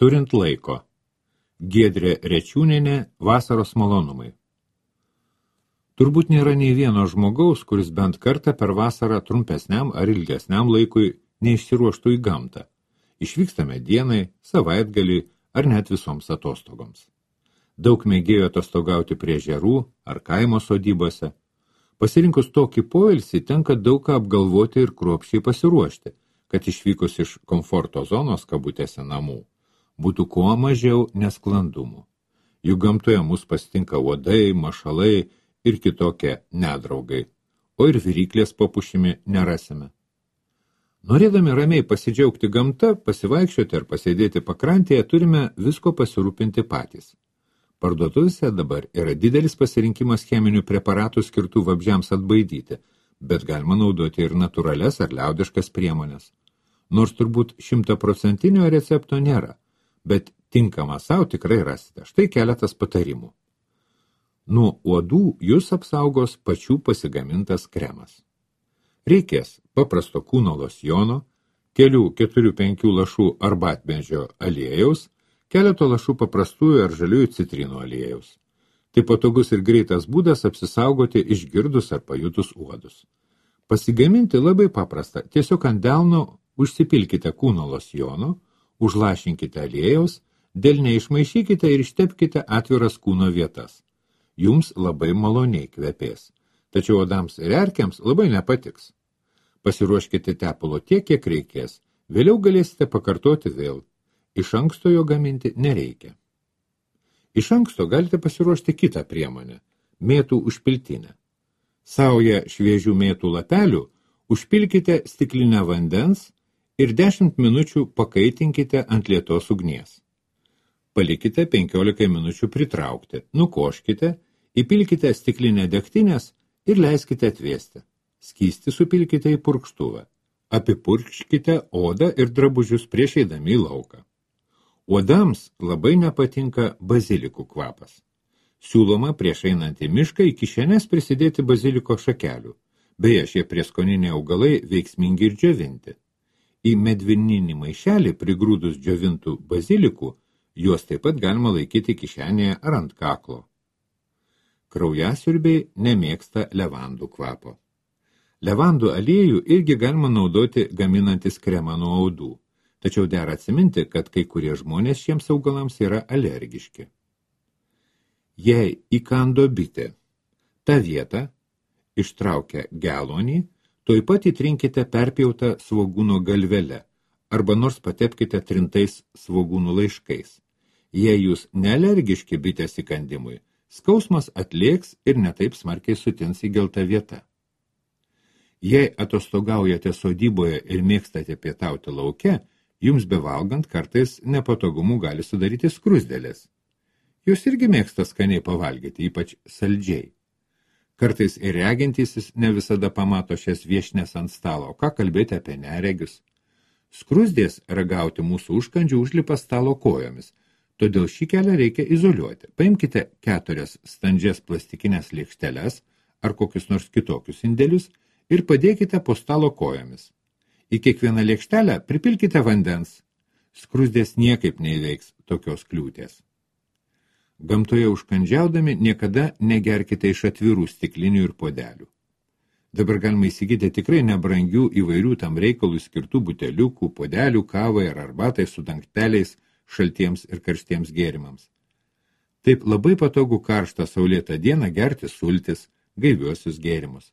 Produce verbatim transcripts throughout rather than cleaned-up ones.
Turint laiko. Giedrė Rečiūnienė, Vasaros malonumai. Turbūt nėra nei vieno žmogaus, kuris bent kartą per vasarą trumpesniam ar ilgesniam laikui neišsiruoštų į gamtą. Išvykstame dienai, savaitgaliui ar net visoms atostogoms. Daug mėgėjo atostogauti prie ežerų ar kaimo sodybose. Pasirinkus tokį poilsį tenka daug ką apgalvoti ir kruopščiai pasiruošti, kad išvykus iš komforto zonos kabutėse namų būtų kuo mažiau nesklandumų. Juk gamtoje mus pasitinka uodai, mašalai ir kitokie nedraugai, o ir viryklės po pušimi nerasime. Norėdami ramiai pasidžiaugti gamta, pasivaikščioti ar pasėdėti pakrantėje, turime visko pasirūpinti patys. Parduotuvėse dabar yra didelis pasirinkimas cheminių preparatų skirtų vabzdžiams atbaidyti, bet galima naudoti ir natūralias ar liaudiškas priemonės. Nors turbūt šimtaprocentinio recepto nėra, bet tinkamą savo tikrai rasite. Štai keletas patarimų. Nuo uodų jūs apsaugos pačių pasigamintas kremas. Reikės paprasto kūno losjono, kelių keturių penkių lašų arbatmedžio aliejaus, keleto lašų paprastųjų ar žaliųjų citrinų aliejaus. Tai patogus ir greitas būdas apsisaugoti išgirdus ar pajutus uodus. Pasigaminti labai paprasta. Tiesiog ant delno užsipilkite kūno losjono, užlašinkite aliejaus, delne išmaišykite ir ištepkite atviras kūno vietas. Jums labai maloniai kvepės. Tačiau odams ir erkiams labai nepatiks. Pasiruoškite tepalo tiek, kiek reikės. Vėliau galėsite pakartoti vėl. Iš anksto jo gaminti nereikia. Iš anksto galite pasiruošti kitą priemonę – mėtų užpiltinę. Saują šviežių mėtų lapelių užpilkite stiklinę vandens ir dešimt minučių pakaitinkite ant lietos ugnies. Palikite penkiolika minučių pritraukti, nukoškite, įpilkite stiklinę degtinės ir leiskite atvėsti. Skystį supilkite į purkštuvą. Apipurkškite odą ir drabužius prieš eidami į lauką. Uodams labai nepatinka bazilikų kvapas. Siūloma prieš einant į mišką į kišenes prisidėti baziliko šakelių. Beje, šie prieskoniniai augalai veiksmingi ir džiovinti. Į medvininį maišelį prigrūdus džiovintų bazilikų, juos taip pat galima laikyti kišenėje ar ant kaklo. Kraujasiurbiai nemėgsta levandų kvapo. Levandų aliejų irgi galima naudoti gaminantis kremą nuo audų, tačiau dera atsiminti, kad kai kurie žmonės šiems augalams yra alergiški. Jei įkando bitė, tą vietą ištraukę gelonį, tuoj pat įtrinkite perpjautą svogūno galvele arba nors patepkite trintais svogūnų laiškais. Jei jūs nealergiški bitės įkandimui, skausmas atlėks ir netaip smarkiai sutins įgelta vieta. Jei atostogaujate sodyboje ir mėgstate pietauti lauke, jums bevalgant kartais nepatogumų gali sudaryti skruzdėlės. Jūs irgi mėgsta skaniai pavalgyti, ypač saldžiai. Kartais ir regintysis ne visada pamato šias viešnes ant stalo, ką kalbėti apie neregius. Skruzdės ragauti mūsų užkandžių užlipa stalo kojomis, todėl šį kelią reikia izoliuoti. Paimkite keturias standžias plastikinės lėkšteles ar kokius nors kitokius indelius ir padėkite po stalo kojomis. Į kiekvieną lėkštelę pripilkite vandens. Skruzdės niekaip neįveiks tokios kliūties. Gamtoje užkandžiaudami niekada negerkite iš atvirų stiklinių ir podelių. Dabar galima įsigyti tikrai nebrangių įvairių tam reikalų skirtų buteliukų, podelių, kavai ar arbatai su dangteliais šaltiems ir karštiems gėrimams. Taip labai patogu karštą saulėtą dieną gerti sultis, gaiviuosius gėrimus.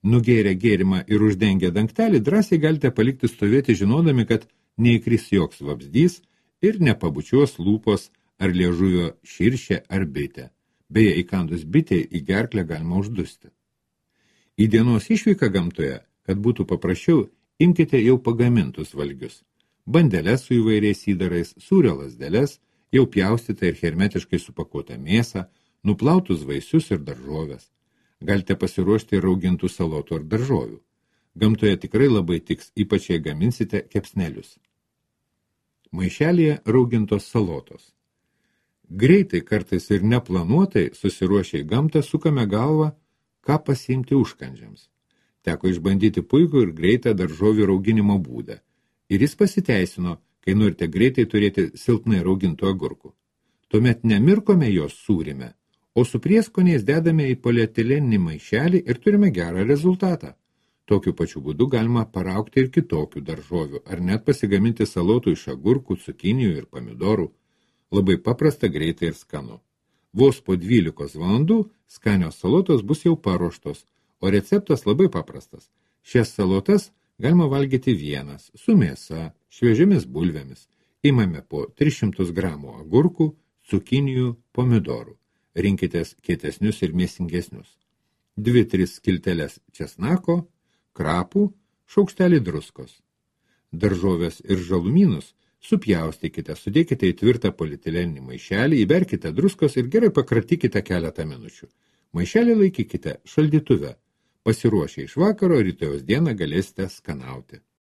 Nugėrę gėrimą ir uždengę dangtelį drąsiai galite palikti stovėti žinodami, kad neįkris joks vabzdys ir nepabučiuos lūpos ar liežuvio širšė ar bitė. Beje, įkandus bitė į gerklę galima uždusti. Į dienos išvyką gamtoje, kad būtų paprasčiau, imkite jau pagamintus valgius. Bandeles su įvairiais įdarais, sūrio lazdeles, jau pjaustytą ir hermetiškai supakuotą mėsą, nuplautus vaisius ir daržoves. Galite pasiruošti ir raugintų salotų ar daržovių. Gamtoje tikrai labai tiks, ypač jei gaminsite kepsnelius. Maišelyje raugintos salotos. Greitai, kartais ir neplanuotai, susiruošę į gamtą, sukame galvą, ką pasiimti užkandžiams. Teko išbandyti puikų ir greitą daržovių rauginimo būdą. Ir jis pasiteisino, kai norite greitai turėti silpnai raugintų agurkų. Tuomet nemirkome jos sūrime, o su prieskoniais dedame į polietileninį maišelį ir turime gerą rezultatą. Tokiu pačiu būdu galima paraukti ir kitokių daržovių, ar net pasigaminti salotų iš agurkų, cukinijų ir pomidorų. Labai paprasta, greitai ir skanu. Vos po dvylikos valandų skanios salotos bus jau paruoštos, o receptas labai paprastas. Šias salotas galima valgyti vienas, su mėsa, šviežiamis bulvėmis. Imame po tris šimtus gramų agurkų, cukinijų, pomidorų. Rinkitės kietesnius ir mėsingesnius. Dvi, tris skilteles česnako, krapų, šaukštelį druskos. Daržovės ir žalumynus supjaustykite, sudėkite į tvirtą polietileninį maišelį, įberkite druskos ir gerai pakratykite keletą minučių. Maišelį laikykite šaldytuve. Pasiruošę iš vakaro, rytojaus dieną galėsite skanauti.